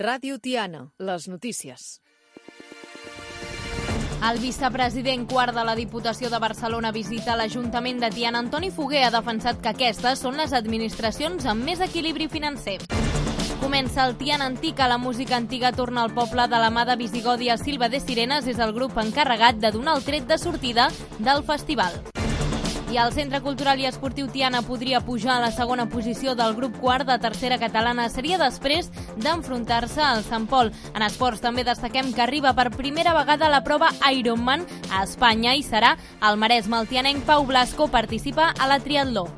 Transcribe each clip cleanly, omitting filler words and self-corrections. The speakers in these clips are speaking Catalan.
Ràdio Tiana, les notícies. El vicepresident quart de la Diputació de Barcelona visita l'Ajuntament de Tiana. Antoni Foguer ha defensat que aquestes són les administracions amb més equilibri financer. Comença el Tiana Antic, la música antiga torna al poble de la mà de Visigodi. Silva de Sirenes és el grup encarregat de donar el tret de sortida del festival. I el Centre Cultural i Esportiu Tiana podria pujar a la segona posició del grup quart de tercera catalana. Seria després d'enfrontar-se al Sant Pol. En esports també destaquem que arriba per primera vegada a la prova Ironman a Espanya i serà el maresme. El tianenc Pau Blasco participa a la triatló.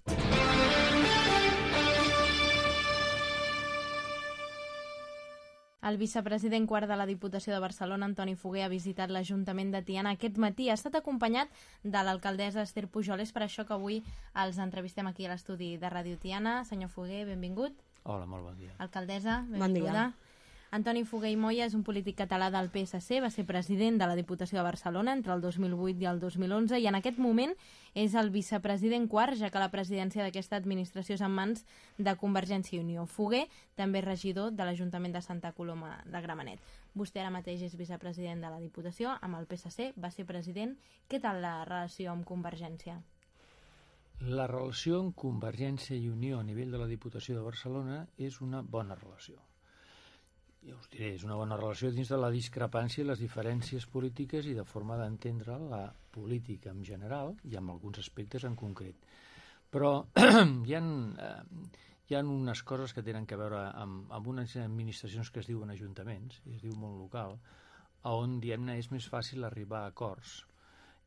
El vicepresident quart de la Diputació de Barcelona, Antoni Foguer, ha visitat l'Ajuntament de Tiana aquest matí. Ha estat acompanyat de l'alcaldessa Esther Pujol. És per això que avui els entrevistem aquí a l'estudi de Ràdio Tiana. Senyor Foguer, benvingut. Hola, molt bon dia. Alcaldessa, benvinguda. Bon dia. Antoni Foguer i Moya és un polític català del PSC, va ser president de la Diputació de Barcelona entre el 2008 i el 2011 i en aquest moment és el vicepresident quart, ja que la presidència d'aquesta administració és en mans de Convergència i Unió. Foguer també és regidor de l'Ajuntament de Santa Coloma de Gramenet. Vostè ara mateix és vicepresident de la Diputació, amb el PSC va ser president. Què tal la relació amb Convergència? La relació amb Convergència i Unió a nivell de la Diputació de Barcelona és una bona relació. Ja us diré, és una bona relació dins de la discrepància i les diferències polítiques i de forma d'entendre la política en general i amb alguns aspectes en concret. Però hi ha unes coses que tenen a veure amb unes administracions que es diuen ajuntaments, i es diu món local, on, diguem-ne, és més fàcil arribar a acords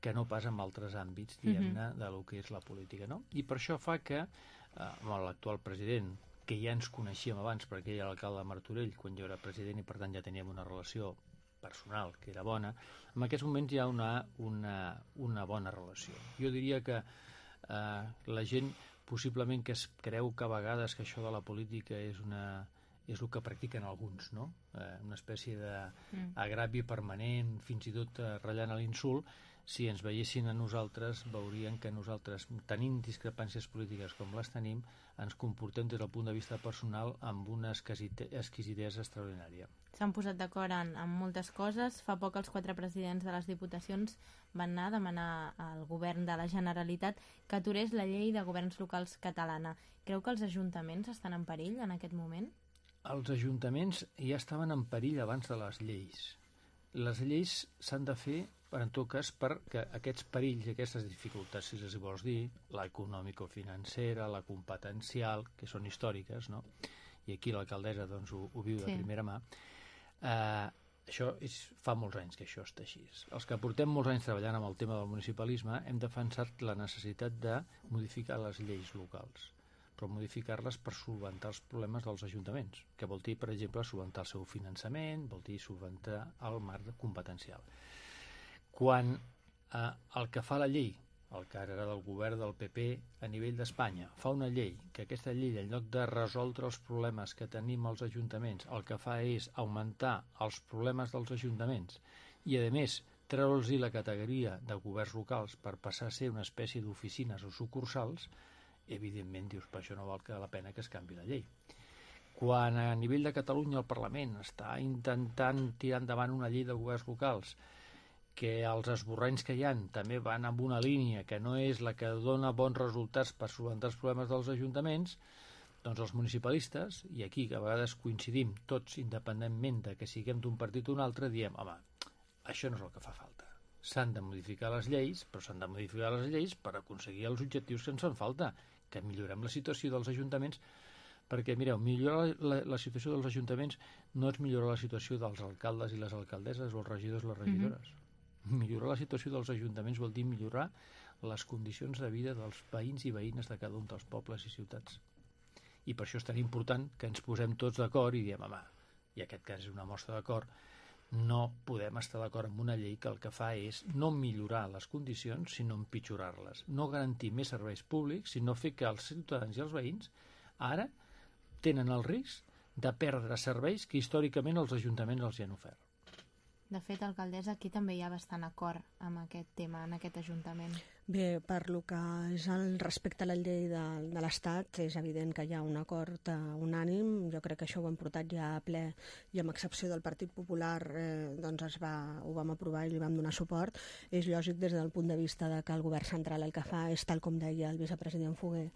que no pas en altres àmbits, diguem-ne, de lo que és la política, no? I per això fa que amb l'actual president, que ja ens coneixíem abans perquè ell era l'alcalde de Martorell quan jo era president i per tant ja teníem una relació personal que era bona, en aquests moments hi ha una bona relació. Jo diria que la gent possiblement que es creu que a vegades que això de la política és el que practiquen alguns, no? Una espècie d'agravi permanent, fins i tot ratllant a l'insult. Si ens veiessin a nosaltres, veurien que nosaltres, tenint discrepàncies polítiques com les tenim, ens comportem des del punt de vista personal amb una exquisitesa extraordinària. S'han posat d'acord en moltes coses. Fa poc els 4 presidents de les diputacions van anar a demanar al govern de la Generalitat que aturés la llei de governs locals catalana. Creu que els ajuntaments estan en perill en aquest moment? Els ajuntaments ja estaven en perill abans de les lleis. Les lleis s'han de fer en tot cas perquè aquests perills i aquestes dificultats, si els vols dir, l'econòmico-financera, la competencial, que són històriques, no? I aquí l'alcaldessa doncs, ho viu de primera mà, això fa molts anys que això està així. Els que portem molts anys treballant amb el tema del municipalisme hem defensat la necessitat de modificar les lleis locals, però modificar-les per solventar els problemes dels ajuntaments, que vol dir, per exemple, solventar el seu finançament, vol dir solventar el marc competencial. Quan el que fa la llei, el que ara era del govern del PP a nivell d'Espanya, fa una llei, que aquesta llei, en lloc de resoldre els problemes que tenim als ajuntaments, el que fa és augmentar els problemes dels ajuntaments i, a més, treure'ls la categoria de governs locals per passar a ser una espècie d'oficines o sucursals, evidentment dius, per això no val la pena que es canvi la llei. Quan a nivell de Catalunya el Parlament està intentant tirar endavant una llei de governs locals que els esborranys que hi ha també van amb una línia que no és la que dona bons resultats per solventar els problemes dels ajuntaments, doncs els municipalistes, i aquí que a vegades coincidim tots independentment de que siguem d'un partit o un altre, diem, home, això no és el que fa falta. S'han de modificar les lleis, però s'han de modificar les lleis per aconseguir els objectius que ens fan falta, que millorem la situació dels ajuntaments, perquè, mireu, millorar la situació dels ajuntaments no és millorar la situació dels alcaldes i les alcaldesses o els regidors i les regidores. Millorar la situació dels ajuntaments vol dir millorar les condicions de vida dels veïns i veïnes de cada un dels pobles i ciutats. I per això és tan important que ens posem tots d'acord i diem, home, i aquest cas és una mostra d'acord, no podem estar d'acord amb una llei que el que fa és no millorar les condicions, sinó empitjorar-les. No garantir més serveis públics, sinó fer que els ciutadans i els veïns ara tenen el risc de perdre serveis que històricament els ajuntaments els hi han ofert. De fet, alcaldessa, aquí també hi ha bastant acord amb aquest tema, en aquest ajuntament. Bé, per lo que és el respecte a la llei de l'Estat, és evident que hi ha un acord unànim. Jo crec que això ho hem portat ja a ple i amb excepció del Partit Popular doncs ho vam aprovar i li vam donar suport. És lògic des del punt de vista de que el govern central el que fa és, tal com deia el vicepresident Foguer,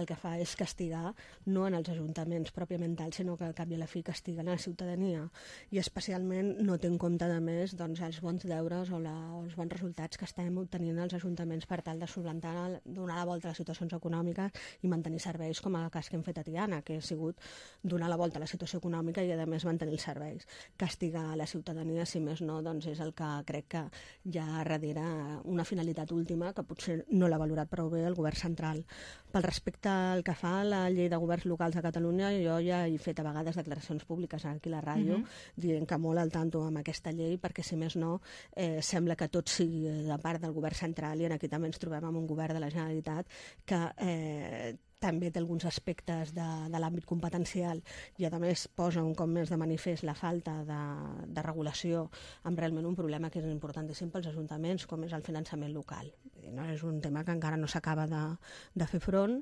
el que fa és castigar, no en els ajuntaments pròpiament tal, sinó que al cap i a la fi castiguen a la ciutadania i especialment no té en compte, a més, doncs, els bons deures o els bons resultats que estem obtenint els ajuntaments per tal de solventar, donar la volta a les situacions econòmiques i mantenir serveis, com el cas que hem fet a Tiana, que ha sigut donar la volta a la situació econòmica i, a més, mantenir els serveis. Castigar la ciutadania, si més no, doncs és el que crec que hi ha darrere una finalitat última que potser no l'ha valorat prou bé el govern central. Pel respecte al que fa la llei de governs locals de Catalunya, jo ja he fet a vegades declaracions públiques aquí a la ràdio, dient que molt al tanto amb aquesta llei, perquè, si més no, sembla que tot sigui de part del govern central i en aquí també ens trobem amb un govern de la Generalitat que també té alguns aspectes de l'àmbit competencial i, a més, posa un cop més de manifest la falta de regulació amb realment un problema que és importantíssim pels ajuntaments, com és el finançament local. No? És un tema que encara no s'acaba de fer front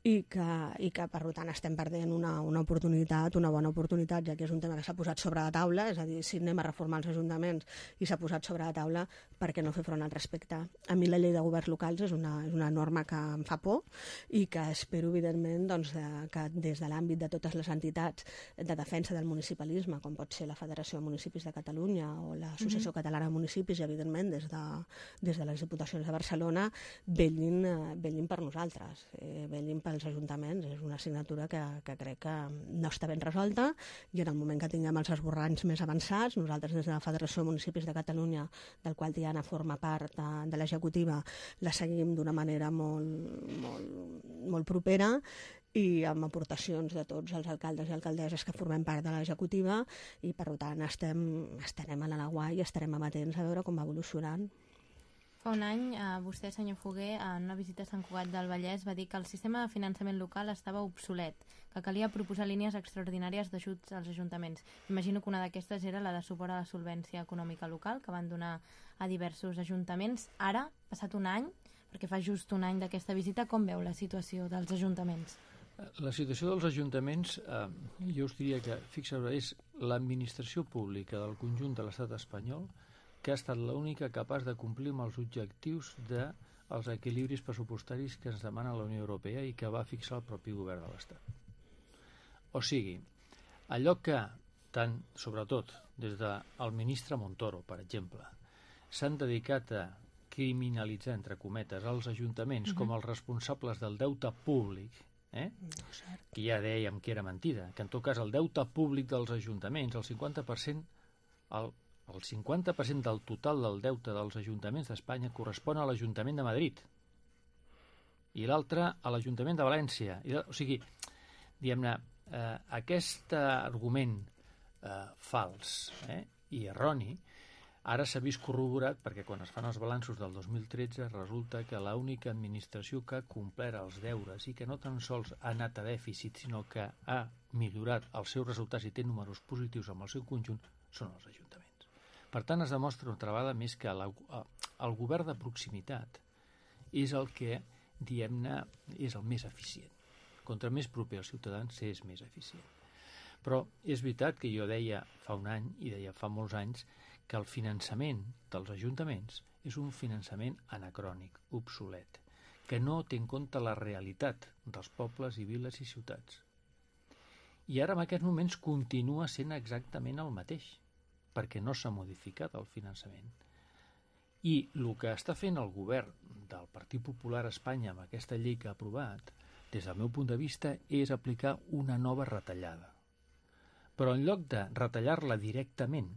i que, per tant, estem perdent una oportunitat, una bona oportunitat, ja que és un tema que s'ha posat sobre la taula, és a dir, si anem a reformar els ajuntaments i s'ha posat sobre la taula, per què no fer front al respecte? A mi la llei de governs locals és una norma que em fa por i que espero, evidentment, doncs, que des de l'àmbit de totes les entitats de defensa del municipalisme, com pot ser la Federació de Municipis de Catalunya o l'Associació Catalana de Municipis i, evidentment, des de les Diputacions de Barcelona, vetllin per nosaltres, vetllin pels ajuntaments. És una assignatura que crec que no està ben resolta i en el moment que tinguem els esborranys més avançats, nosaltres des de la Federació de Municipis de Catalunya, del qual Tiana forma part de l'executiva, la seguim d'una manera molt propera i amb aportacions de tots els alcaldes i alcaldesses que formem part de l'executiva i, per tant, estarem a l'Alaguai i estarem amatents a veure com va evolucionant. Fa un any, vostè, senyor Foguer, en una visita a Sant Cugat del Vallès, va dir que el sistema de finançament local estava obsolet, que calia proposar línies extraordinàries d'ajuts als ajuntaments. Imagino que una d'aquestes era la de suport a la solvència econòmica local, que van donar a diversos ajuntaments. Ara, passat un any, perquè fa just un any d'aquesta visita, com veu la situació dels ajuntaments? La situació dels ajuntaments, jo us diria que, fixeu-vos, és l'administració pública del conjunt de l'estat espanyol que ha estat l'única capaç de complir amb els objectius dels equilibris pressupostaris que ens demana la Unió Europea i que va fixar el propi govern de l'Estat. O sigui, allò que, sobretot des del ministre Montoro, per exemple, s'han dedicat a criminalitzar, entre cometes, els ajuntaments com els responsables del deute públic, que ja dèiem que era mentida, que en tot cas el deute públic dels ajuntaments, el 50% del total del deute dels ajuntaments d'Espanya correspon a l'Ajuntament de Madrid i l'altre a l'Ajuntament de València. O sigui, diguem-ne, aquest argument fals i erroni ara s'ha vist corroborat perquè quan es fan els balanços del 2013 resulta que l'única administració que ha complert els deures i que no tan sols ha anat a dèficit sinó que ha millorat els seus resultats i té números positius amb el seu conjunt són els ajuntaments. Per tant, es demostra una altra vegada més que el govern de proximitat és el que, diguem-ne, és el més eficient. Contra més proper als ciutadans és més eficient. Però és veritat que jo deia fa un any i deia fa molts anys que el finançament dels ajuntaments és un finançament anacrònic, obsolet, que no té en compte la realitat dels pobles i viles i ciutats. I ara en aquests moments continua sent exactament el mateix, perquè no s'ha modificat el finançament. I el que està fent el govern del Partit Popular a Espanya amb aquesta llei que ha aprovat, des del meu punt de vista, és aplicar una nova retallada. Però en lloc de retallar-la directament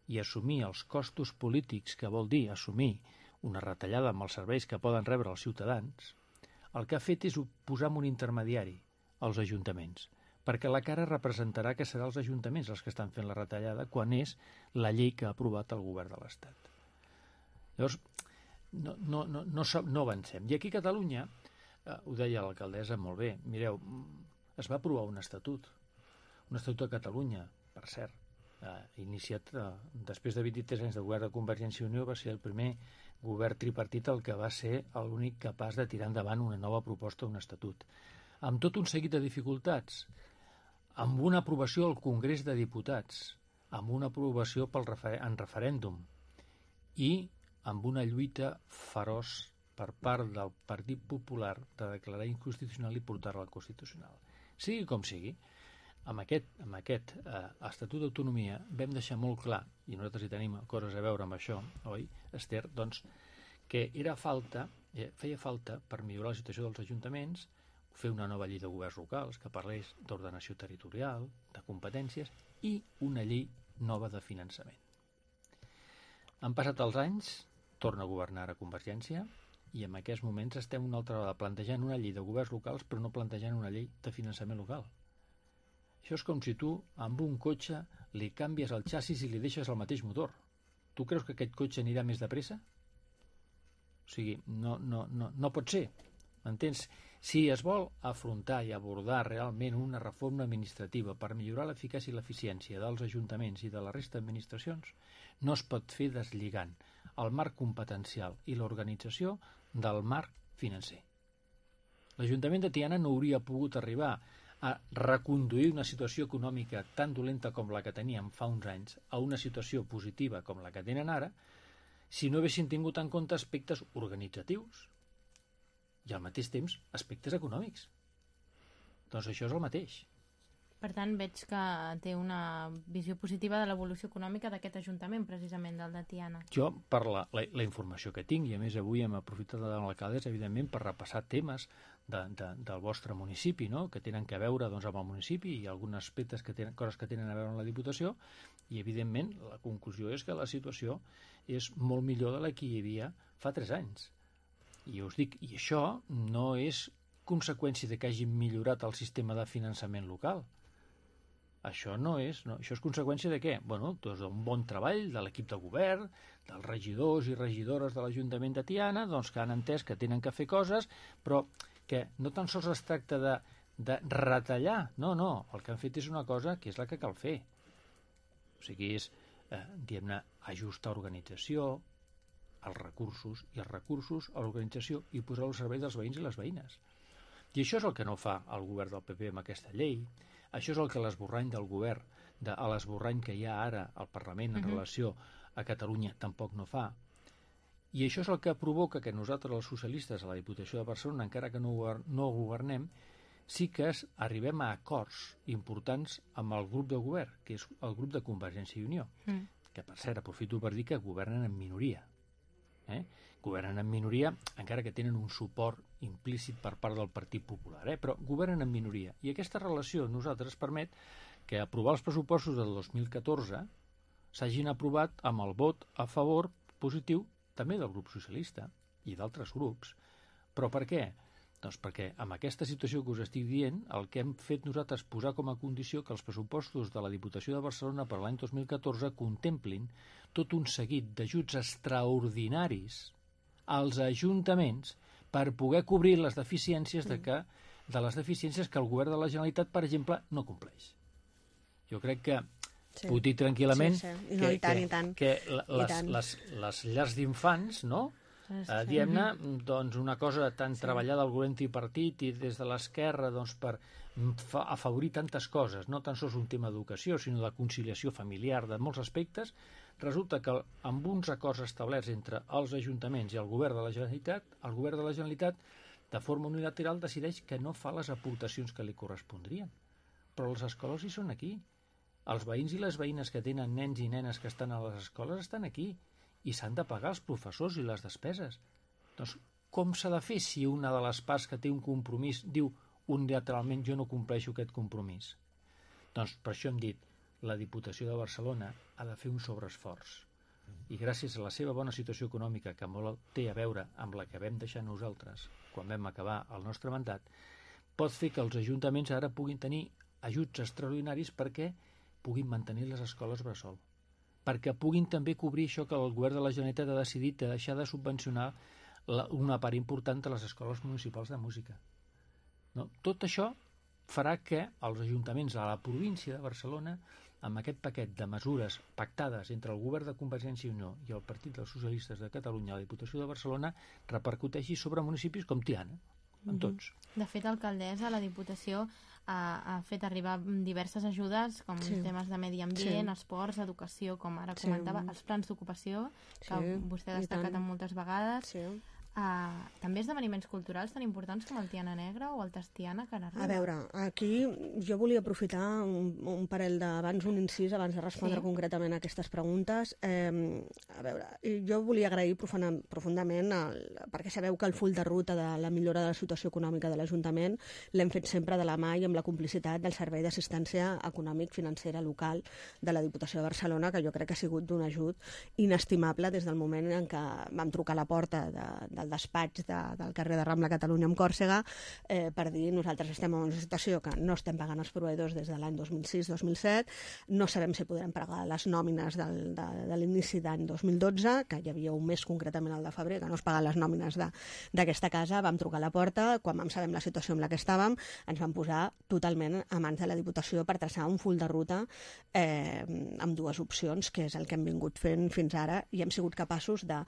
i assumir els costos polítics, que vol dir assumir una retallada amb els serveis que poden rebre els ciutadans, el que ha fet és posar un intermediari als ajuntaments, perquè la cara representarà que seran els ajuntaments els que estan fent la retallada quan és la llei que ha aprovat el govern de l'Estat. Llavors, no avancem. I aquí a Catalunya, ho deia l'alcaldessa molt bé, mireu, es va aprovar un estatut de Catalunya, per cert, iniciat després de 23 anys de govern de Convergència i Unió, va ser el primer govern tripartit el que va ser l'únic capaç de tirar endavant una nova proposta d'un estatut. Amb tot un seguit de dificultats, amb una aprovació al Congrés de Diputats, amb una aprovació en referèndum i amb una lluita feroç per part del Partit Popular de declarar inconstitucional i portar-la al Constitucional. Sigui com sigui, amb aquest Estatut d'Autonomia vam deixar molt clar, i nosaltres hi tenim coses a veure amb això, oi, Esther, doncs, que feia falta per millorar la situació dels ajuntaments, fer una nova llei de governs locals que parlés d'ordenació territorial, de competències i una llei nova de finançament. Han passat els anys, torna a governar a Convergència, i en aquests moments estem una altra vegada plantejant una llei de governs locals però no plantejant una llei de finançament local. Això és com si tu amb un cotxe li canvies el xassis i li deixes el mateix motor. Tu creus que aquest cotxe anirà més de pressa? O sigui, no pot ser. M'entens? Si es vol afrontar i abordar realment una reforma administrativa per millorar l'eficàcia i l'eficiència dels ajuntaments i de la resta d'administracions, no es pot fer deslligant el marc competencial i l'organització del marc financer. L'Ajuntament de Tiana no hauria pogut arribar a reconduir una situació econòmica tan dolenta com la que teníem fa uns anys a una situació positiva com la que tenen ara si no haguessin tingut en compte aspectes organitzatius i al mateix temps aspectes econòmics. Doncs això és el mateix. Per tant, veig que té una visió positiva de l'evolució econòmica d'aquest Ajuntament, precisament, del de Tiana. Jo, per la informació que tinc, i a més avui hem aprofitat de l'alcaldessa, evidentment, per repassar temes del vostre municipi, no?, que tenen a veure doncs, amb el municipi i alguns aspectes coses que tenen a veure amb la Diputació, i evidentment la conclusió és que la situació és molt millor de la que hi havia fa 3 anys. I us dic, i això no és conseqüència de que hagin millorat el sistema de finançament local. Això això és conseqüència de què? Bueno, doncs d'un bon treball de l'equip de govern, dels regidors i regidores de l'Ajuntament de Tiana, doncs que han entès que tenen que fer coses, però que no tan sols es tracta de retallar, no, el que han fet és una cosa que és la que cal fer. O sigui, és, diguem-ne, ajustar organització, els recursos a l'organització i posar-ho al servei dels veïns i les veïnes. I això és el que no fa el govern del PP amb aquesta llei. Això és el que l'esborrany del govern, l'esborrany que hi ha ara al Parlament en relació a Catalunya tampoc no fa. I això és el que provoca que nosaltres, els socialistes, a la Diputació de Barcelona, encara que no governem, sí que arribem a acords importants amb el grup de govern, que és el grup de Convergència i Unió, que per cert aprofito per dir que governen en minoria. Governen en minoria, encara que tenen un suport implícit per part del Partit Popular, però governen en minoria. I aquesta relació a nosaltres permet que aprovar els pressupostos del 2014 s'hagin aprovat amb el vot a favor positiu també del grup socialista i d'altres grups. Però per què? Doncs perquè amb aquesta situació que us estic dient, el que hem fet nosaltres posar com a condició que els pressupostos de la Diputació de Barcelona per l'any 2014 contemplin tot un seguit d'ajuts extraordinaris als ajuntaments per poder cobrir les deficiències de les deficiències que el govern de la Generalitat, per exemple, no compleix. Jo crec que puc dir tranquil·lament que les llars d'infants, no?, diguem-ne, doncs una cosa tan treballada al govern tripartit i des de l'esquerra doncs, per afavorir tantes coses, no tan sols un tema d'educació, sinó de conciliació familiar, de molts aspectes, resulta que amb uns acords establerts entre els ajuntaments i el govern de la Generalitat, de forma unilateral, decideix que no fa les aportacions que li correspondrien. Però les escoles hi són aquí. Els veïns i les veïnes que tenen nens i nenes que estan a les escoles estan aquí. I s'han de pagar els professors i les despeses. Doncs com s'ha de fer si una de les parts que té un compromís diu unilateralment jo no compleixo aquest compromís? Doncs per això hem dit la Diputació de Barcelona ha de fer un sobreesforç i gràcies a la seva bona situació econòmica que molt té a veure amb la que vam deixar nosaltres quan vam acabar el nostre mandat, pot fer que els ajuntaments ara puguin tenir ajuts extraordinaris perquè puguin mantenir les escoles bressol, perquè puguin també cobrir això que el govern de la Generalitat ha decidit de deixar de subvencionar una part important de les escoles municipals de música. No? Tot això farà que els ajuntaments a la província de Barcelona amb aquest paquet de mesures pactades entre el govern de Convergència i Unió i el Partit dels Socialistes de Catalunya a la Diputació de Barcelona repercuteixi sobre municipis com Tiana, en tots. De fet, l'alcaldessa, la Diputació, ha fet arribar diverses ajudes, com temes de medi ambient, esports, educació, com ara comentava, els plans d'ocupació, que vostè ha destacat moltes vegades. També esdeveniments culturals tan importants com el Tiana Negra o el Tastiana que n'arriba. A veure, aquí jo volia aprofitar un parell d'abans, un incís, abans de respondre concretament a aquestes preguntes. A veure, jo volia agrair profundament, perquè sabeu que el full de ruta de la millora de la situació econòmica de l'Ajuntament l'hem fet sempre de la mà i amb la complicitat del Servei d'Assistència Econòmic Financera Local de la Diputació de Barcelona, que jo crec que ha sigut d'un ajut inestimable des del moment en què vam trucar a la porta del despatx del carrer de Rambla Catalunya amb Còrsega per dir nosaltres estem en una situació que no estem pagant els proveïdors des de l'any 2006-2007, no sabem si podrem pagar les nòmines de l'inici d'any 2012, que hi havia un mes concretament el de febrer que no es paguen les nòmines d'aquesta casa. Vam trucar a la porta, quan vam saber la situació en la que estàvem, ens vam posar totalment a mans de la Diputació per traçar un full de ruta amb dues opcions, que és el que hem vingut fent fins ara, i hem sigut capaços de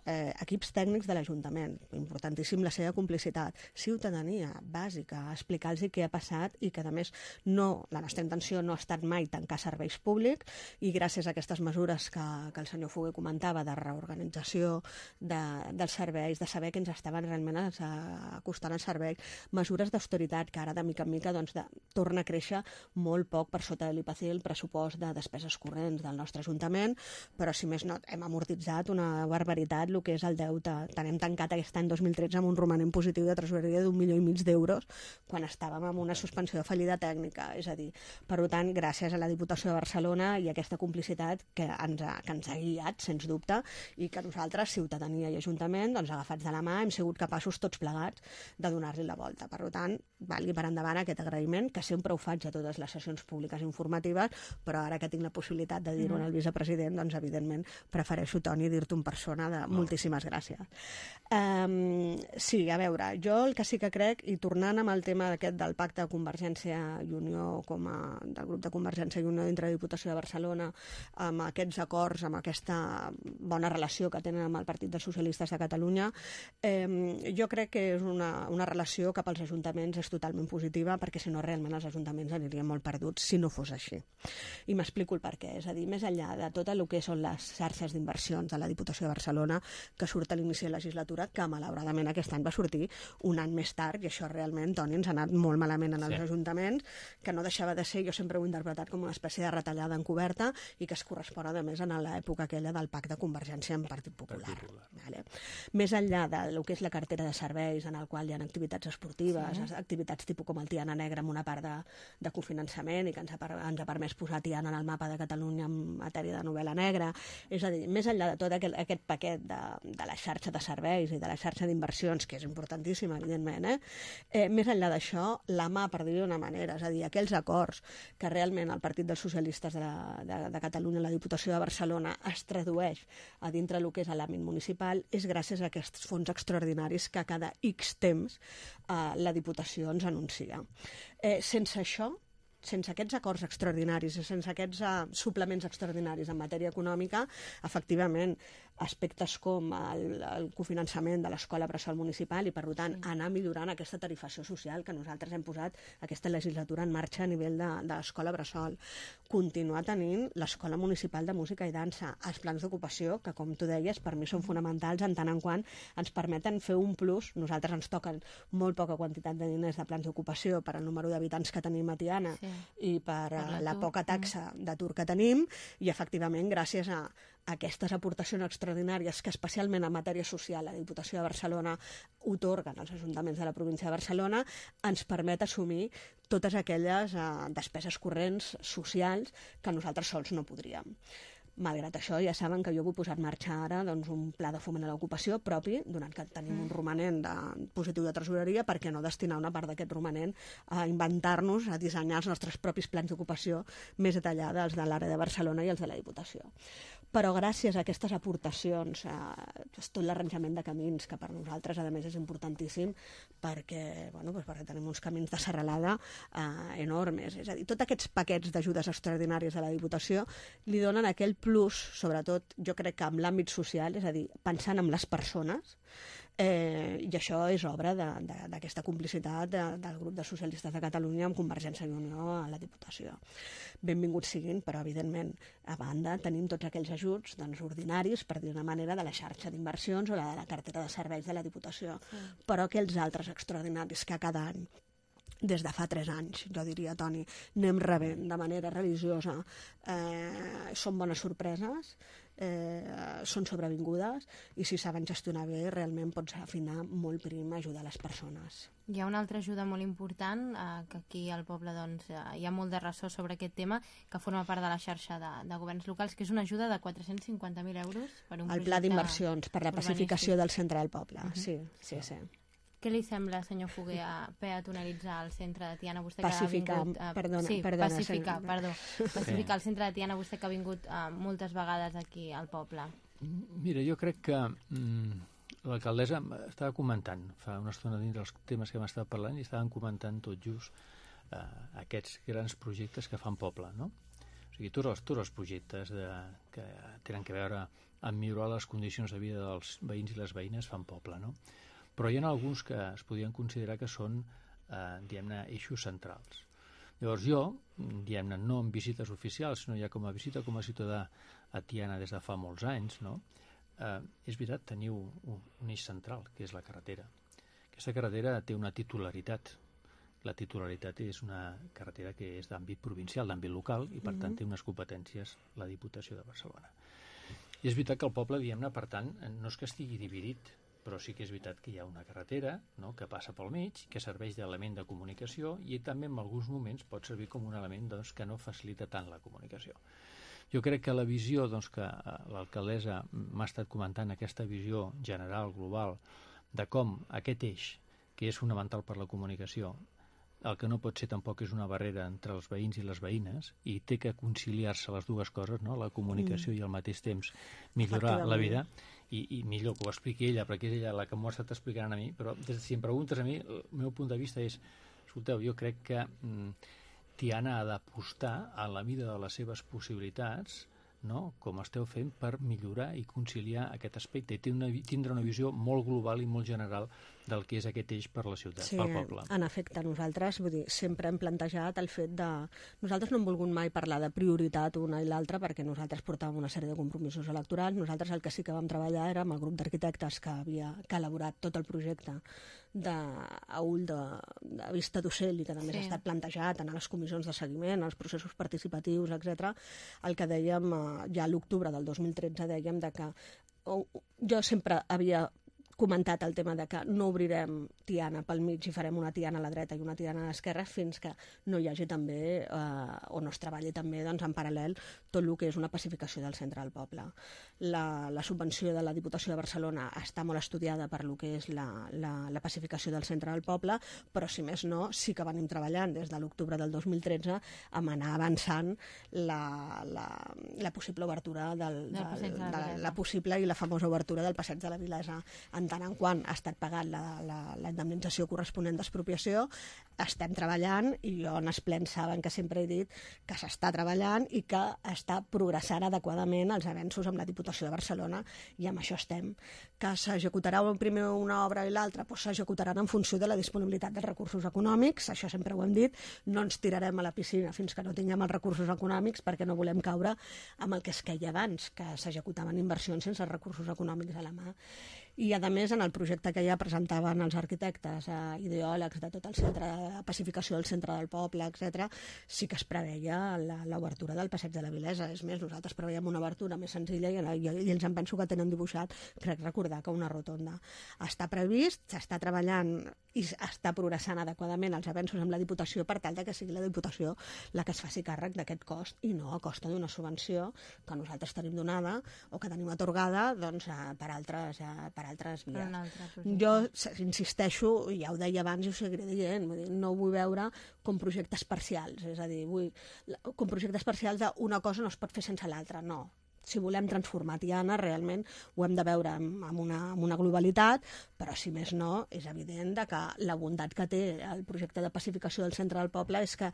equips tècnics de l'Ajuntament, importantíssim la seva complicitat, ciutadania bàsica, explicar-los què ha passat i que, a més, la nostra intenció no ha estat mai tancar serveis públics, i gràcies a aquestes mesures que el senyor Foguer comentava de reorganització dels serveis, de saber que ens estaven realment acostant els serveis, mesures d'austeritat que ara de mica en mica torna a créixer molt poc per sota de l'IPC, el pressupost de despeses corrents del nostre Ajuntament, però si més no hem amortitzat una barbaritat el que és el deute. Hem tancat aquest any 2013 amb un romanent positiu de tresoreria d'1,5 milió d'euros quan estàvem amb una suspensió de fallida tècnica. És a dir, per tant, gràcies a la Diputació de Barcelona i a aquesta complicitat que ens ha guiat, sens dubte, i que nosaltres, ciutadania i Ajuntament, agafats de la mà, hem sigut capaços tots plegats de donar-li la volta. Per tant, valgui per endavant aquest agraïment, que sempre ho faig a totes les sessions públiques informatives, però ara que tinc la possibilitat de dir-ho al vicepresident, evidentment prefereixo, Toni, dir-t'ho en persona de moltíssimes gràcies. Sí, a veure, jo el que sí que crec, i tornant amb el tema aquest del pacte de Convergència i Unió, del grup de Convergència i Unió dintre de Diputació de Barcelona, amb aquests acords, amb aquesta bona relació que tenen amb el Partit dels Socialistes de Catalunya, jo crec que és una relació cap als ajuntaments és totalment positiva, perquè si no realment els ajuntaments anirien molt perduts si no fos així. I m'explico el per què. És a dir, més enllà de tot el que són les xarxes d'inversions de la Diputació de Barcelona, que surt a l'inici de la legislatura, que malauradament aquest any va sortir un any més tard, i això realment, Toni, ens ha anat molt malament en els ajuntaments, que no deixava de ser, jo sempre ho he interpretat com una espècie de retallada encoberta i que es correspon, a més, a l'època aquella del pacte de Convergència amb Partit Popular. Vale. Més enllà del que és la cartera de serveis, en el qual hi ha activitats esportives, activitats tipus com el Tiana Negra amb una part de cofinançament i que ens ha permès posar Tiana en el mapa de Catalunya en matèria de novel·la negra. És a dir, més enllà de tot aquest paquet de la xarxa de serveis i de la xarxa d'inversions, que és importantíssima, evidentment, més enllà d'això, la mà, per dir-ho d'una manera, és a dir, aquells acords que realment el Partit dels Socialistes de Catalunya, la Diputació de Barcelona, es tradueix a dintre del que és l'àmbit municipal, és gràcies a aquests fons extraordinaris que cada X temps la Diputació ens anuncia. Sense això, sense aquests acords extraordinaris i sense aquests suplements extraordinaris en matèria econòmica, efectivament, aspectes com el cofinançament de l'escola bressol municipal i, per tant, anar millorant aquesta tarifació social que nosaltres hem posat aquesta legislatura en marxa a nivell de l'escola bressol. Continuar tenint l'escola municipal de música i dansa, els plans d'ocupació, que, com tu deies, per mi són fonamentals en tant en quant ens permeten fer un plus. Nosaltres ens toquen molt poca quantitat de diners de plans d'ocupació per al número d'habitants que tenim a Tiana i per la poca taxa d'atur que tenim, i, efectivament, gràcies a aquestes aportacions extraordinàries que especialment en matèria social la Diputació de Barcelona otorguen als ajuntaments de la província de Barcelona, ens permet assumir totes aquelles despeses corrents socials que nosaltres sols no podríem. Malgrat això, ja saben que jo vull posar en marxa ara doncs, un pla de foment a l'ocupació propi, donat que tenim un romanent positiu de tresoreria, perquè no destinar una part d'aquest romanent a inventar-nos, a dissenyar els nostres propis plans d'ocupació més detallada, els de l'àrea de Barcelona i els de la Diputació. Però gràcies a aquestes aportacions, tot l'arranjament de camins, que per nosaltres, a més, és importantíssim, perquè tenim uns camins de serralada enormes. És a dir, tots aquests paquets d'ajudes extraordinàries de la Diputació li donen aquell plus, sobretot, jo crec que en l'àmbit social, és a dir, pensant en les persones, i això és obra d'aquesta complicitat del grup de socialistes de Catalunya amb Convergència i Unió a la Diputació. Benvinguts siguin, però evidentment a banda tenim tots aquells ajuts ordinaris, per dir una manera, de la xarxa d'inversions o de la cartera de serveis de la Diputació, però aquells altres extraordinaris que cada any, des de fa 3 anys, jo diria, Toni, anem rebent de manera religiosa, són bones sorpreses, són sobrevingudes, i si saben gestionar bé realment pots afinar molt prim a ajudar les persones. Hi ha una altra ajuda molt important, que aquí al poble hi ha molt de ressò sobre aquest tema, que forma part de la xarxa de governs locals, que és una ajuda de 450.000 euros per un projecte... El pla d'inversions per la pacificació del centre del poble, sí. Què li sembla, senyor Foguer, peatonalitzar el centre de Tiana? Pacificar el centre de Tiana, vostè que ha vingut moltes vegades aquí al poble. Mira, jo crec que l'alcaldessa estava comentant fa una estona dins dels temes que hem estat parlant i estaven comentant tot just aquests grans projectes que fan poble, no? O sigui, tots els projectes que tenen a veure amb millorar les condicions de vida dels veïns i les veïnes fan poble, no? Però hi ha alguns que es podien considerar que són, diguem-ne, eixos centrals. Llavors jo, diguem-ne, no en visites oficials, sinó ja com a visita com a ciutadà a Tiana des de fa molts anys, no? És veritat, teniu un eix central, que és la carretera. Aquesta carretera té una titularitat. La titularitat és una carretera que és d'àmbit provincial, d'àmbit local, i per tant té unes competències la Diputació de Barcelona. I és veritat que el poble, diguem-ne, per tant, no és que estigui dividit, però sí que és veritat que hi ha una carretera, no?, que passa pel mig, que serveix d'element de comunicació i també en alguns moments pot servir com un element que no facilita tant la comunicació. Jo crec que la visió que l'alcaldessa m'ha estat comentant, aquesta visió general, global, de com aquest eix, que és fonamental per la comunicació, el que no pot ser tampoc és una barrera entre els veïns i les veïnes, i té que conciliar-se les dues coses, no?, la comunicació i al mateix temps millorar la vida, i millor que ho expliqui ella, perquè és ella la que m'ho ha estat explicant a mi, però si em preguntes a mi, el meu punt de vista és, escolteu, jo crec que Tiana ha d'apostar a la mida de les seves possibilitats, no?, com esteu fent, per millorar i conciliar aquest aspecte i tindre una visió molt global i molt general del que és aquest eix per la ciutat, pel poble. En efecte, nosaltres sempre hem plantejat el fet de... Nosaltres no hem volgut mai parlar de prioritat una i l'altra, perquè nosaltres portàvem una sèrie de compromisos electorals. Nosaltres el que sí que vam treballar era amb el grup d'arquitectes que havia elaborat tot el projecte a ull de vista d'ocell i que també ha estat plantejat en les comissions de seguiment, els processos participatius, etc. El que dèiem ja a l'octubre del 2013 dèiem que jo sempre havia comentat el tema de que no obrirem Tiana pel mig i farem una Tiana a la dreta i una Tiana a l'esquerra fins que no hi hagi també, o no es treballi també en paral·lel tot el que és una pacificació del centre del poble. La subvenció de la Diputació de Barcelona està molt estudiada per el que és la pacificació del centre del poble, però si més no, sí que venim treballant des de l'octubre del 2013 amb anar avançant la possible obertura la possible i la famosa obertura del passeig de la Vilesa. En tant en quant ha estat pagat la indemnització corresponent d'expropiació, estem treballant, i jo en els plens saben que sempre he dit que s'està treballant i que està progressant adequadament els avenços amb la Diputació de Barcelona, i amb això estem. Que s'executarà primer una obra i l'altra, doncs s'executaran en funció de la disponibilitat dels recursos econòmics, això sempre ho hem dit, no ens tirarem a la piscina fins que no tinguem els recursos econòmics, perquè no volem caure amb el que es queia abans, que s'executaven inversions sense recursos econòmics a la mà. I, a més, en el projecte que ja presentaven els arquitectes, ideòlegs de tot el centre de pacificació del centre del poble, etc., sí que es preveia l'obertura del passeig de la Vilesa. És més, nosaltres preveiem una obertura més senzilla i ells em penso que tenen dibuixat, crec recordar, que una rotonda. Està previst, s'està treballant i està progressant adequadament els avenços amb la Diputació per tal que sigui la Diputació la que es faci càrrec d'aquest cost i no a costa d'una subvenció que nosaltres tenim donada o que tenim atorgada doncs, per altres vies. Jo insisteixo, ja ho deia abans i ho seguiré dient, no ho vull veure com projectes parcials, és a dir, com projectes parcials d'una cosa no es pot fer sense l'altra, no. Si volem transformar Tiana, realment ho hem de veure amb una globalitat, però si més no, és evident que la bondat que té el projecte de pacificació del centre del poble és que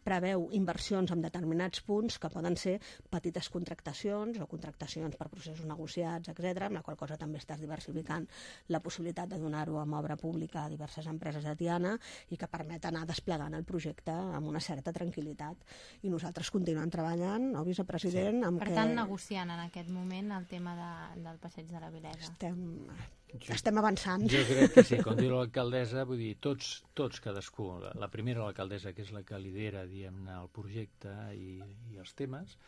preveu inversions en determinats punts que poden ser petites contractacions o contractacions per processos negociats, etc., amb la qual cosa també estàs diversificant la possibilitat de donar-ho amb obra pública a diverses empreses de Tiana i que permet anar desplegant el projecte amb una certa tranquil·litat. I nosaltres continuem treballant, no, vicepresident? Per tant, negociant en aquest moment el tema del passeig de la Vilesa. Estem avançant. Jo crec que sí, com diu l'alcaldessa, vull dir, tots cadascú, la primera l'alcaldessa, que és la que lidera, diguem-ne, el projecte i els temes,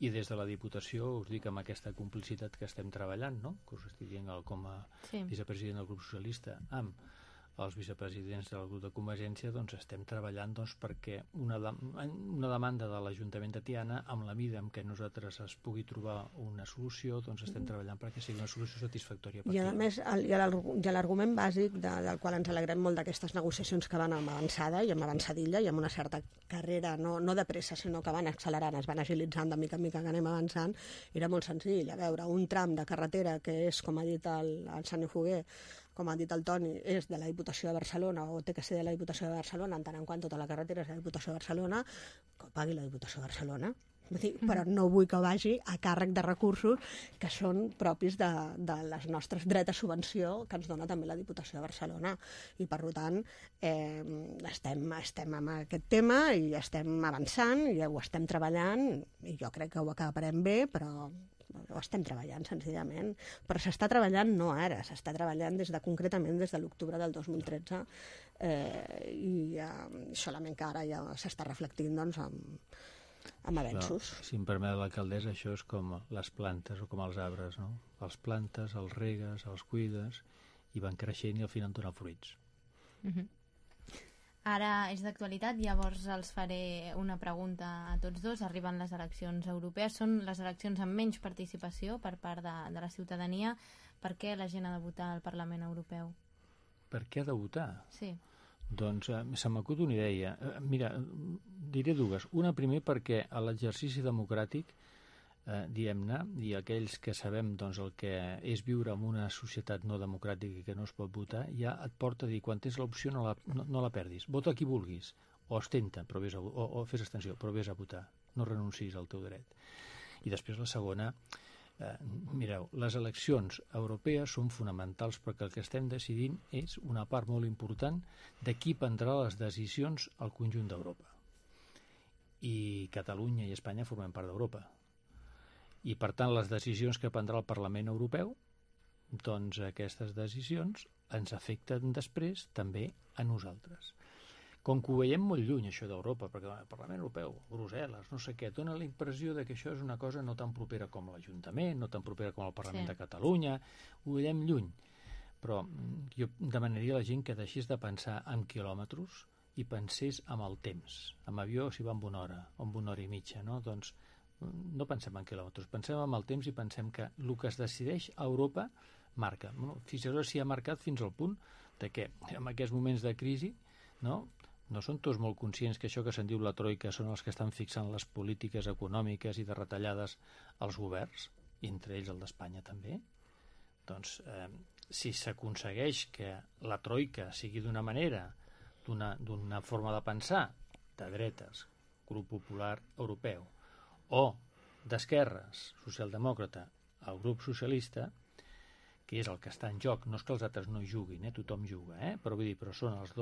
i des de la Diputació us dic amb aquesta complicitat que estem treballant, no? Que us estic dient com a vicepresident del grup socialista, amb els vicepresidents del grup de Convergència, doncs estem treballant perquè una demanda de l'Ajuntament de Tiana, amb la mida en què nosaltres es pugui trobar una solució, doncs estem treballant perquè sigui una solució satisfactòria per Tiana. I a més, l'argument bàsic del qual ens alegrem molt d'aquestes negociacions que van amb avançada i amb avançadilla i amb una certa carrera, no de pressa, sinó que van accelerant, es van agilitzant de mica en mica que anem avançant, era molt senzill. A veure, un tram de carretera que és, com ha dit el senyor Foguer, com ha dit el Toni, és de la Diputació de Barcelona o té que ser de la Diputació de Barcelona, en tant en quant tota la carretera és de la Diputació de Barcelona, que ho pagui la Diputació de Barcelona. Però no vull que vagi a càrrec de recursos que són propis de les nostres drets a subvenció que ens dona també la Diputació de Barcelona. I, per tant, estem amb aquest tema i estem avançant i ho estem treballant i jo crec que ho acabarem bé, però ho estem treballant senzillament, però s'està treballant no ara, s'està treballant concretament des de l'octubre del 2013 i solament que ara ja s'està reflectint doncs, amb avenços. Si em permet l'alcaldessa, això és com les plantes o com els arbres, no? Els plantes, els regues, els cuides i van creixent i al final donen fruits. Ara és d'actualitat, llavors els faré una pregunta a tots dos. Arriben les eleccions europees, són les eleccions amb menys participació per part de la ciutadania. Per què la gent ha de votar al Parlament Europeu? Per què ha de votar? Sí. Doncs se m'acut una idea. Mira, diré dues. Una, primer, perquè a l'exercici democràtic, diguem-ne, i aquells que sabem doncs, el que és viure en una societat no democràtica i que no es pot votar, ja et porta a dir, quan tens l'opció no la perdis. Vota qui vulguis, o abstenta, o fes abstenció, però vés a votar. No renuncis al teu dret. I després la segona, mireu, les eleccions europees són fonamentals perquè el que estem decidint és una part molt important de qui prendrà les decisions al conjunt d'Europa. I Catalunya i Espanya formen part d'Europa. I, per tant, les decisions que prendrà el Parlament Europeu, doncs aquestes decisions ens afecten després també a nosaltres. Com que ho veiem molt lluny, això d'Europa, perquè el Parlament Europeu, Brussel·les, no sé què, dona la impressió que això és una cosa no tan propera com l'Ajuntament, no tan propera com el Parlament de Catalunya, ho veiem lluny. Però jo demanaria a la gent que deixés de pensar en quilòmetres i pensés en el temps. Amb avió s'hi va amb una hora, o amb una hora i mitja, no? Doncs no pensem en quilòmetres, pensem en el temps i pensem que el que es decideix a Europa marca. Fixeu-vos si ha marcat fins al punt de que en aquests moments de crisi no són tots molt conscients que això que se'n diu la troika són els que estan fixant les polítiques econòmiques i de retallades als governs, i entre ells el d'Espanya també. Doncs si s'aconsegueix que la troika sigui d'una manera, d'una forma de pensar, de dretes, grup popular europeu, o d'esquerres, socialdemòcrata, el grup socialista, que és el que està en joc, no és que els altres no juguin, tothom juga, però vull dir, però són els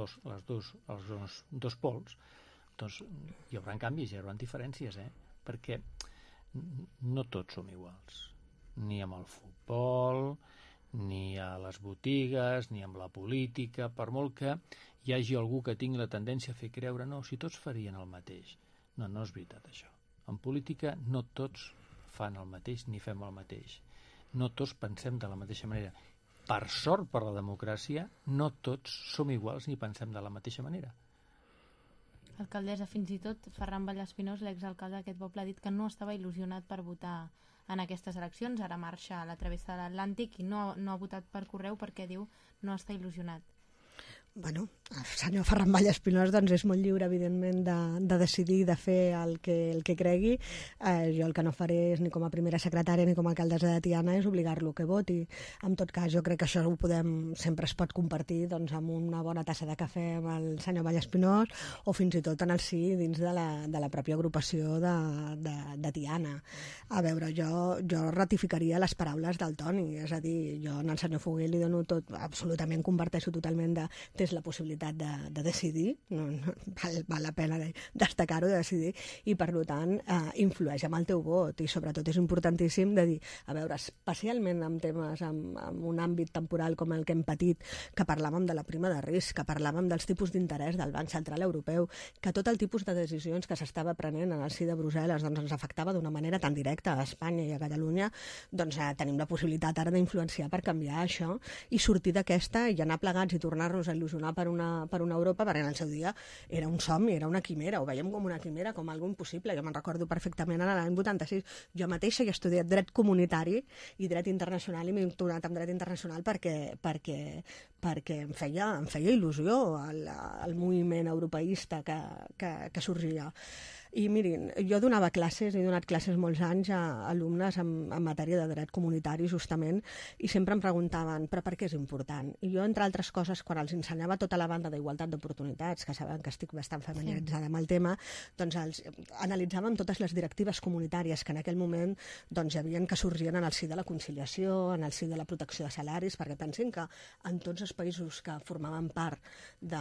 dos pols, doncs hi haurà canvis, hi haurà diferències, perquè no tots som iguals, ni amb el futbol, ni a les botigues, ni amb la política, per molt que hi hagi algú que tingui la tendència a fer creure no, si tots farien el mateix. No, no és veritat això. En política no tots fan el mateix ni fem el mateix. No tots pensem de la mateixa manera. Per sort, per la democràcia, no tots som iguals ni pensem de la mateixa manera. Alcaldessa, fins i tot Ferran Vallespinós, l'exalcalde d'aquest poble, ha dit que no estava il·lusionat per votar en aquestes eleccions. Ara marxa a la travessa de l'Atlàntic i no ha votat per correu perquè diu no està il·lusionat. Bueno, el senyor Ferran Vallespinós doncs, és molt lliure, evidentment, de decidir, de fer el que cregui. Jo el que no faré és, ni com a primera secretària ni com a alcaldessa de Tiana, és obligar-lo que voti. En tot cas, jo crec que això sempre es pot compartir doncs, amb una bona tassa de cafè amb el senyor Vallespinós o fins i tot en el sí dins de la pròpia agrupació de Tiana. A veure, jo ratificaria les paraules del Toni, és a dir, jo en el senyor Foguer li dono tot, absolutament comparteixo totalment tens la possibilitat de decidir, val la pena destacar-ho, de decidir, i per tant influeix amb el teu vot, i sobretot és importantíssim de dir, a veure, especialment en temes amb un àmbit temporal com el que hem patit, que parlàvem de la prima de risc, que parlàvem dels tipus d'interès del Banc Central Europeu, que tot el tipus de decisions que s'estava prenent en el si de Brussel·les doncs, ens afectava d'una manera tan directa a Espanya i a Catalunya, doncs tenim la possibilitat ara d'influenciar per canviar això i sortir d'aquesta i anar plegats i tornar-nos a il·lusionar per una Europa, perquè en el seu dia era un somni, era una quimera, ho veiem com una quimera, com algo impossible. Jo me'n recordo perfectament en l'any 86. Jo mateixa he estudiat dret comunitari i dret internacional i m'he doctorat en dret internacional perquè em feia il·lusió el moviment europeista que sorgia. I mirin, jo donava classes, he donat classes molts anys a alumnes en matèria de dret comunitari, justament, i sempre em preguntaven, però per què és important? I jo, entre altres coses, quan els ensenyava tota la banda d'igualtat d'oportunitats, que saben que estic bastant familiaritzada amb el tema, doncs analitzàvem totes les directives comunitàries que en aquell moment doncs, hi havia que sorgien en el si de la conciliació, en el si de la protecció de salaris, perquè pensin que en tots els països que formaven part de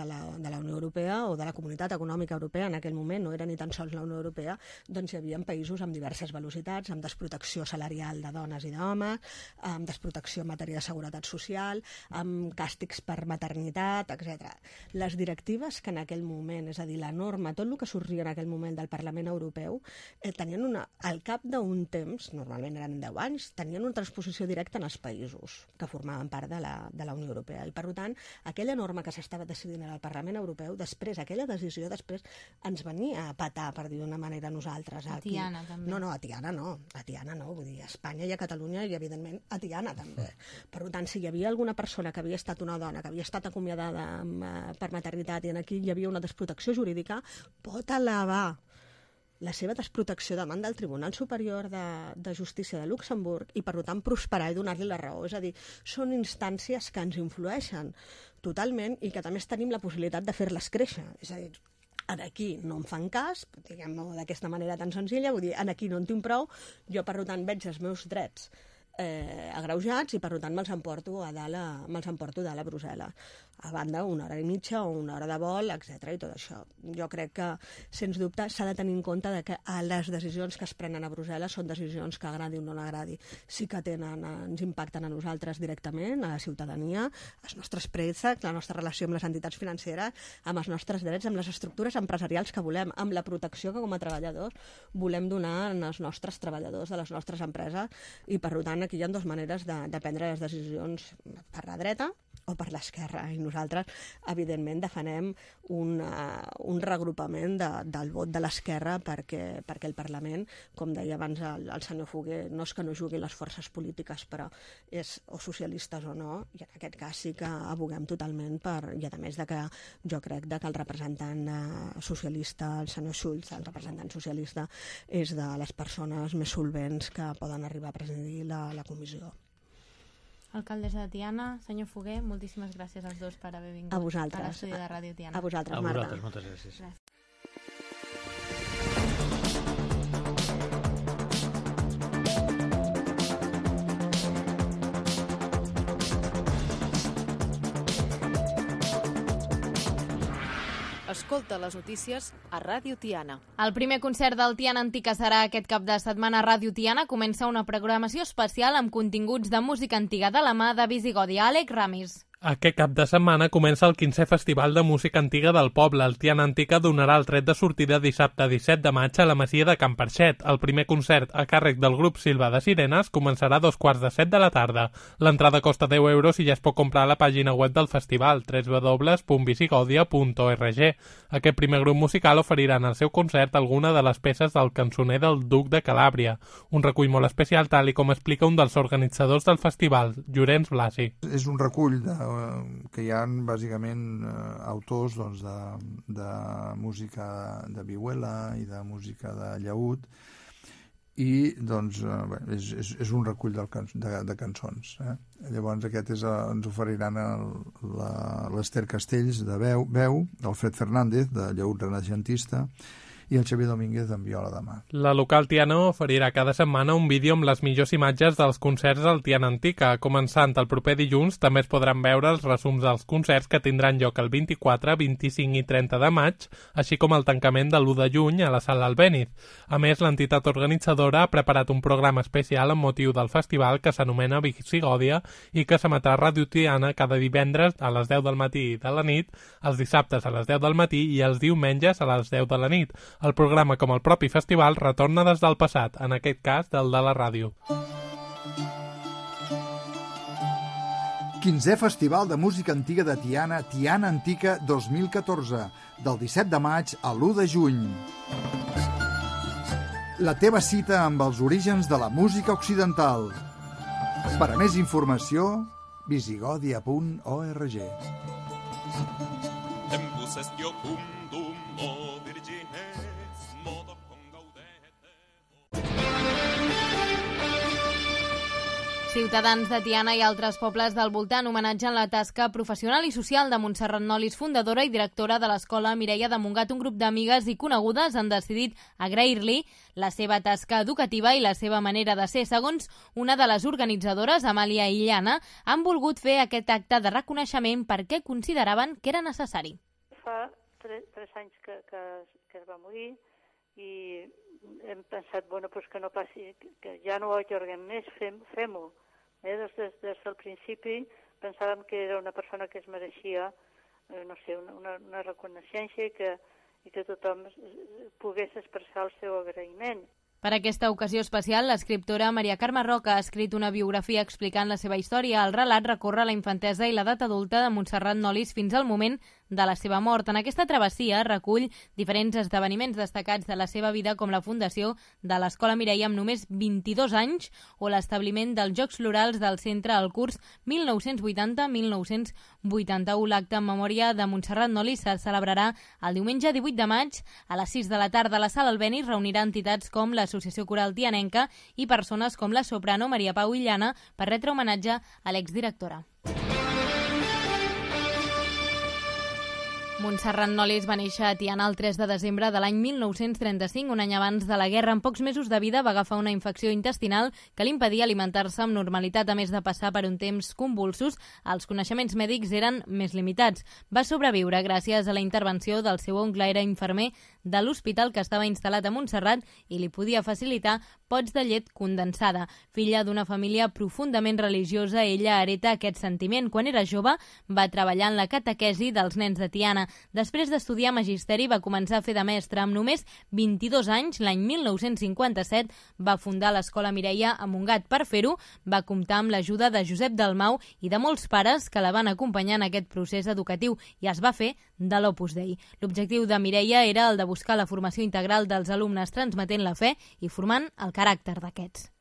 la Unió Europea o de la Comunitat Econòmica Europea en aquell moment, no eren ni tan sols la Unió Europea, doncs hi havia països amb diverses velocitats, amb desprotecció salarial de dones i d'homes, amb desprotecció en matèria de seguretat social, amb càstigs per maternitat, etc. Les directives que en aquell moment, és a dir, la norma, tot el que sorgia en aquell moment del Parlament Europeu, tenien al cap d'un temps, normalment eren 10 anys, tenien una transposició directa en els països que formaven part de la Unió Europea. I, per tant, aquella norma que s'estava decidint al Parlament Europeu, després, aquella decisió, després ens venia a patar, per dir d'una manera, nosaltres. A Tiana, també. No, a Tiana no, vull dir, a Espanya i a Catalunya i, evidentment, a Tiana, també. Per tant, si hi havia alguna persona que havia estat una dona, que havia estat acomiadada per maternitat i aquí hi havia una desprotecció jurídica, pot elevar la seva desprotecció davant del Tribunal Superior de Justícia de Luxemburg i, per tant, prosperar i donar-li la raó. És a dir, són instàncies que ens influeixen totalment i que també tenim la possibilitat de fer-les créixer. És a dir, aquí no em fan cas, diguem-ho d'aquesta manera tan senzilla, vull dir, aquí no en tinc prou, jo, per tant, veig els meus drets agreujats i, per tant, me'ls emporto a dalt a Brussel·les. A banda, 1 hora i mitja o 1 hora de vol, etc. i tot això. Jo crec que, sens dubte, s'ha de tenir en compte que les decisions que es prenen a Brussel·les són decisions que agradi o no agradi. Sí que ens impacten a nosaltres directament, a la ciutadania, als nostres préstecs, la nostra relació amb les entitats financeres, amb els nostres drets, amb les estructures empresarials que volem, amb la protecció que com a treballadors volem donar als nostres treballadors de les nostres empreses i, per tant, aquí hi ha dues maneres de prendre les decisions per la dreta o per l'esquerra, i nosaltres, evidentment, defenem un regrupament del vot de l'esquerra perquè el Parlament, com deia abans el senyor Foguer, no és que no juguin les forces polítiques, però és o socialistes o no, i en aquest cas sí que aboguem totalment i a més que jo crec que el representant socialista, el senyor Schulz, el representant socialista, és de les persones més solvents que poden arribar a presidir la comissió. Alcaldessa de Tiana, senyor Foguer, moltíssimes gràcies als dos per haver vingut a l'estudi de Ràdio Tiana. A vosaltres, Marta. A vosaltres, moltes gràcies. Gràcies. Escolta les notícies a Ràdio Tiana. El primer concert del Tiana Antica serà aquest cap de setmana a Ràdio Tiana. Comença una programació especial amb continguts de música antiga de la mà de Visigodi. Àlex Ramis. Aquest cap de setmana comença el 15è Festival de Música Antiga del Poble. El Tiana Antica donarà el tret de sortida dissabte 17 de maig a la Masia de Can Parxet. El primer concert, a càrrec del grup Silva de Sirenes, començarà a 7:15 de la tarda. L'entrada costa 10 euros i ja es pot comprar a la pàgina web del festival, www.visigodia.org. Aquest primer grup musical oferirà en el seu concert alguna de les peces del cançoner del Duc de Calàbria, un recull molt especial, tal i com explica un dels organitzadors del festival, Llorenç Blasi. És un recull que hi ha bàsicament autors de música de vihuela i de música de llaüt, i és un recull de cançons. Llavors aquest ens oferiran l'Ester Castells de veu, l'Alfred Fernández de llaüt renaixentista i el Xavier Domínguez en viola de mà. La local Tiana oferirà cada setmana un vídeo amb les millors imatges dels concerts al Tiana Antica. Començant el proper dilluns, també es podran veure els resums dels concerts que tindran lloc el 24, 25 i 30 de maig, així com el tancament de l'1 de juny a la Sala Albéniz. A més, l'entitat organitzadora ha preparat un programa especial amb motiu del festival que s'anomena Visigòdia i que s'emetrà a Ràdio Tiana cada divendres a les 10 del matí i de la nit, els dissabtes a les 10 del matí i els diumenges a les 10 de la nit. El programa, com el propi festival, retorna des del passat, en aquest cas del de la ràdio. 15è Festival de Música Antiga de Tiana, Tiana Antica 2014, del 17 de maig a l'1 de juny. La teva cita amb els orígens de la música occidental. Per a més informació, visigodia.org. Ciutadans de Tiana i altres pobles del voltant homenatgen la tasca professional i social de Montserrat Nolis, fundadora i directora de l'Escola Mireia de Montgat. Un grup d'amigues i conegudes han decidit agrair-li la seva tasca educativa i la seva manera de ser. Segons una de les organitzadores, Amàlia Illana, han volgut fer aquest acte de reconeixement perquè consideraven que era necessari. Fa 3 anys que es va morir i hem pensat, que no passi, que ja no ho allarguem més, fem-ho. Des del principi pensàvem que era una persona que es mereixia, una reconeixença i que tothom pogués expressar el seu agraïment. Per aquesta ocasió especial, l'escriptora Maria Carme Roca ha escrit una biografia explicant la seva història. El relat recorre la infantesa i l'edat adulta de Montserrat Nolis fins al moment de la seva mort. En aquesta travessia recull diferents esdeveniments destacats de la seva vida, com la fundació de l'Escola Mireia amb només 22 anys o l'establiment dels Jocs Florals del centre al curs 1980-1981. L'acte en memòria de Montserrat Nolis se celebrarà el diumenge 18 de maig a les 6 de la tarda. A la Sala Albéniz reunirà entitats com l'Associació Coral Tianenca i persones com la soprano Maria Pau Illana per retre homenatge a l'exdirectora. Montserrat Nolis va néixer a Tiana el 3 de desembre de l'any 1935, un any abans de la guerra. En pocs mesos de vida va agafar una infecció intestinal que li impedia alimentar-se amb normalitat. A més de passar per un temps convulsos, els coneixements mèdics eren més limitats. Va sobreviure gràcies a la intervenció del seu oncle, era infermer de l'hospital que estava instal·lat a Montserrat i li podia facilitar pots de llet condensada. Filla d'una família profundament religiosa, ella hereta aquest sentiment. Quan era jove, va treballar en la catequesi dels nens de Tiana. Després d'estudiar magisteri, va començar a fer de mestre. Amb només 22 anys, l'any 1957, va fundar l'Escola Mireia a Montgat. Per fer-ho, va comptar amb l'ajuda de Josep Dalmau i de molts pares que la van acompanyar en aquest procés educatiu i es va fer de l'Opus Dei. L'objectiu de Mireia era el de buscar la formació integral dels alumnes, transmetent la fe i formant el caràcter d'aquests.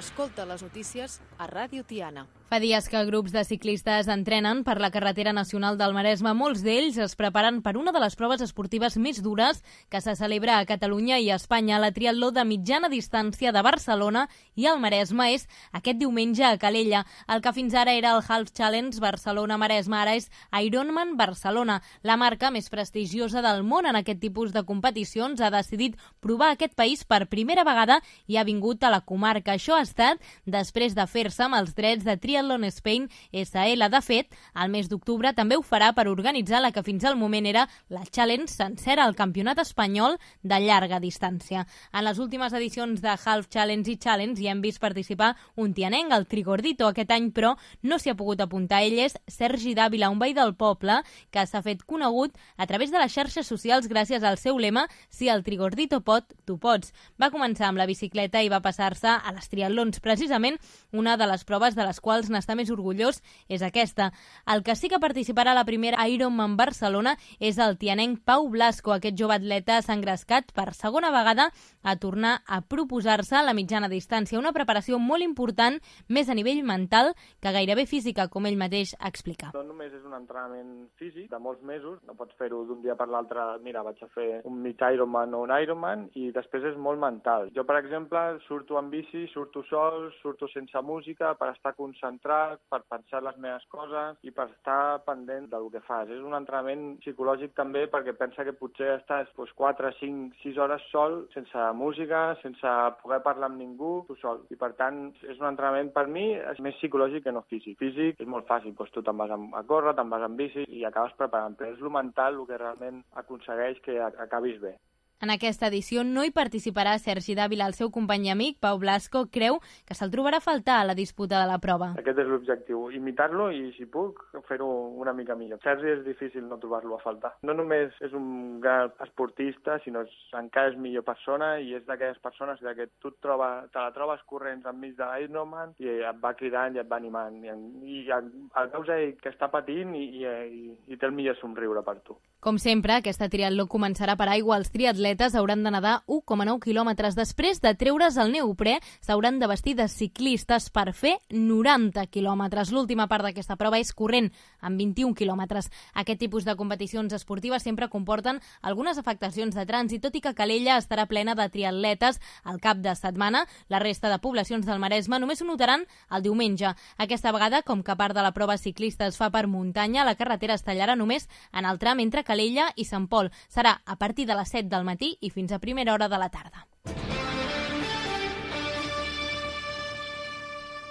Escolta les notícies a Ràdio Tiana. Fa dies que grups de ciclistes entrenen per la carretera nacional del Maresme. Molts d'ells es preparen per una de les proves esportives més dures que se celebra a Catalunya i a Espanya. La triatló de mitjana distància de Barcelona i el Maresme és aquest diumenge a Calella. El que fins ara era el Half Challenge Barcelona-Maresme ara és Ironman Barcelona. La marca més prestigiosa del món en aquest tipus de competicions ha decidit provar aquest país per primera vegada i ha vingut a la comarca. Això ha estat després de fer-se amb els drets de Triathlon Spain SL. De fet, al mes d'octubre també ho farà per organitzar la que fins al moment era la Challenge sencera, el campionat espanyol de llarga distància. En les últimes edicions de Half Challenge i Challenge hi hem vist participar un tianenc, el Trigordito. Aquest any, però, no s'hi ha pogut apuntar. Ell és Sergi Dávila, un veí del poble que s'ha fet conegut a través de les xarxes socials gràcies al seu lema «Si el Trigordito pot, tu pots». Va començar amb la bicicleta i va passar-se a les triatlons. Precisament, una de les proves de les quals n'està més orgullós és aquesta. El que sí que participarà a la primera Ironman Barcelona és el tianenc Pau Blasco. Aquest jove atleta s'ha engrescat per segona vegada a tornar a proposar-se la mitjana distància. Una preparació molt important, més a nivell mental que gairebé física, com ell mateix explica. No només és un entrenament físic de molts mesos, no pots fer-ho d'un dia per l'altre, mira, vaig a fer un mig Ironman o un Ironman, i després és molt mental. Jo, per exemple, surto en bici, surto sol, surto sense música per estar concentrat, per pensar les meves coses i per estar pendent del que fas. És un entrenament psicològic també perquè pensa que potser estàs 4, 5, 6 hores sol, sense música, sense poder parlar amb ningú, tu sol. I per tant, és un entrenament per mi és més psicològic que no físic. Físic és molt fàcil, tu te'n vas a córrer, te'n vas en bici i acabes preparant, però és el mental el que realment aconsegueix que acabis bé. En aquesta edició no hi participarà Sergi Dávila. El seu company i amic, Pau Blasco, creu que se'l trobarà a faltar a la disputa de la prova. Aquest és l'objectiu, imitar-lo i, si puc, fer-ho una mica millor. Sergi és difícil no trobar-lo a faltar. No només és un gran esportista, sinó encara és millor persona i és d'aquelles persones que tu te la trobes corrents enmig de l'Ironman i et va cridant i et va animant. I el veus ell que està patint i té el millor somriure per tu. Com sempre, aquesta triatló començarà per aigua. Els triatletes hauran de nedar 1,9 quilòmetres. Després de treure's el neoprè, s'hauran de vestir de ciclistes per fer 90 quilòmetres. L'última part d'aquesta prova és corrent, amb 21 quilòmetres. Aquest tipus de competicions esportives sempre comporten algunes afectacions de trànsit, tot i que Calella estarà plena de triatletes al cap de setmana. La resta de poblacions del Maresme només ho notaran el diumenge. Aquesta vegada, com que part de la prova ciclista es fa per muntanya, la carretera es tallarà només en el tram entre Calella i Sant Pol. Serà a partir de les 7 del matí i fins a primera hora de la tarda.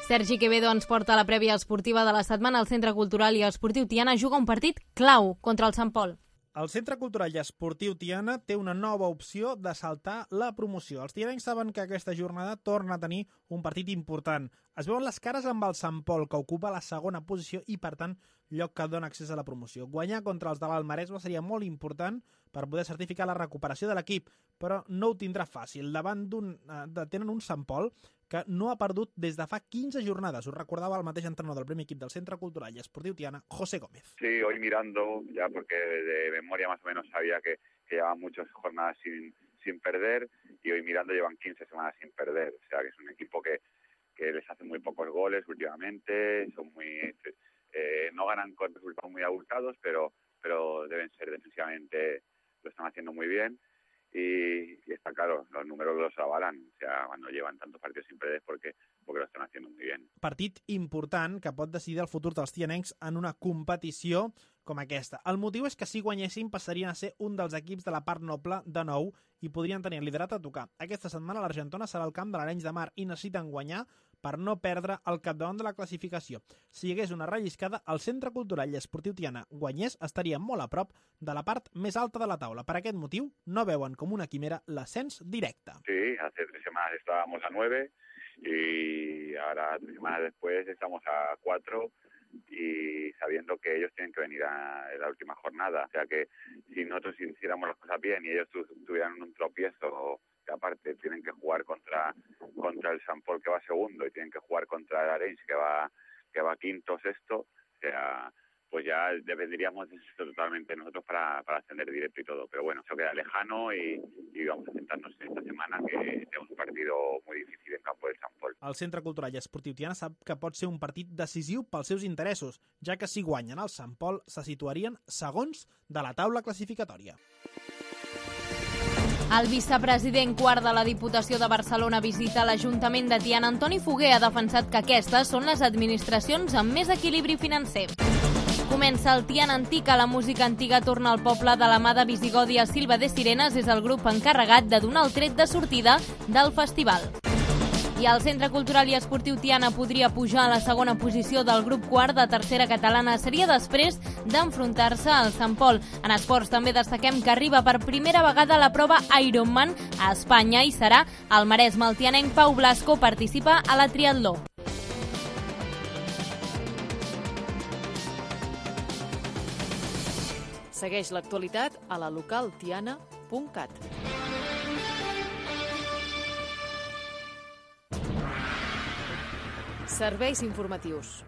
Sergi Quevedo ens porta la prèvia esportiva de la setmana. El Centre Cultural i Esportiu Tiana juga un partit clau contra el Sant Pol. El Centre Cultural i Esportiu Tiana té una nova opció de saltar la promoció. Els tianencs saben que aquesta jornada torna a tenir un partit important. Es veuen les cares amb el Sant Pol, que ocupa la segona posició i, per tant, lloc que dona accés a la promoció. Guanyar contra els de l'Alt Maresme seria molt important per poder certificar la recuperació de l'equip, però no ho tindrà fàcil. Davant tenen un Sant Pol que no ha perdut des de fa 15 jornades. Us recordava el mateix entrenador del primer equip del Centre Cultural y Esportiu Tiana, José Gómez. Sí, hoy mirando, ya porque de memoria más o menos sabía que llevaban muchas jornadas sin perder, y hoy mirando llevan 15 semanas sin perder. O sea que es un equipo que les hace muy pocos goles últimamente, son muy no ganan con resultados muy abultados, pero deben ser defensivamente, lo están haciendo muy bien. Y está claro, los números los avalan, o sea, cuando llevan tantos partidos sin perder porque lo están haciendo muy bien. Partit important que pot decidir el futur dels tianencs en una competició com aquesta. El motiu és que si guanyessin passarien a ser un dels equips de la part noble de nou i podrien tenir el liderat a tocar. Aquesta setmana l'Argentona serà el camp de l'Arenys de Mar i necessiten guanyar per no perdre el capdavant de la classificació. Si hi hagués una relliscada, el Centre Cultural i Esportiu Tiana guanyés estaria molt a prop de la part més alta de la taula. Per aquest motiu, no veuen com una quimera l'ascens directe. Sí, hace 3 semanas estábamos a 9 y ahora 3 semanas después estamos a 4 y sabiendo que ellos tienen que venir a la última jornada. O sea que si nosotros hiciéramos las cosas bien y ellos tuvieran un tropiezo, que aparte tienen que jugar contra el Sant Pol que va segundo y tienen que jugar contra el Arenys que va quinto o sexto, o sea, pues ya dependeríamos de esto totalmente nosotros para ascender directo y todo. Pero bueno, eso queda lejano y vamos a centrarnos en esta semana, que tenemos un partido muy difícil en campo del Sant Pol. El Centre Cultural i Esportiu Tiana sap que pot ser un partit decisiu pels seus interessos, ja que si guanyen el Sant Pol se situarien segons de la taula classificatòria. El vicepresident quart de la Diputació de Barcelona visita l'Ajuntament de Tiana. Antoni Foguer ha defensat que aquestes són les administracions amb més equilibri financer. Comença el Tiana Antica, la música antiga torna al poble de la mà de Visigodia. Silva de Sirenes és el grup encarregat de donar el tret de sortida del festival. I el Centre Cultural i Esportiu Tiana podria pujar a la segona posició del grup quart de tercera catalana. Seria després d'enfrontar-se al Sant Pol. En esports també destaquem que arriba per primera vegada a la prova Ironman a Espanya i serà el Maresme. El tianenc Pau Blasco participa a la triatló. Segueix l'actualitat a la localtiana.cat. Serveis informatius.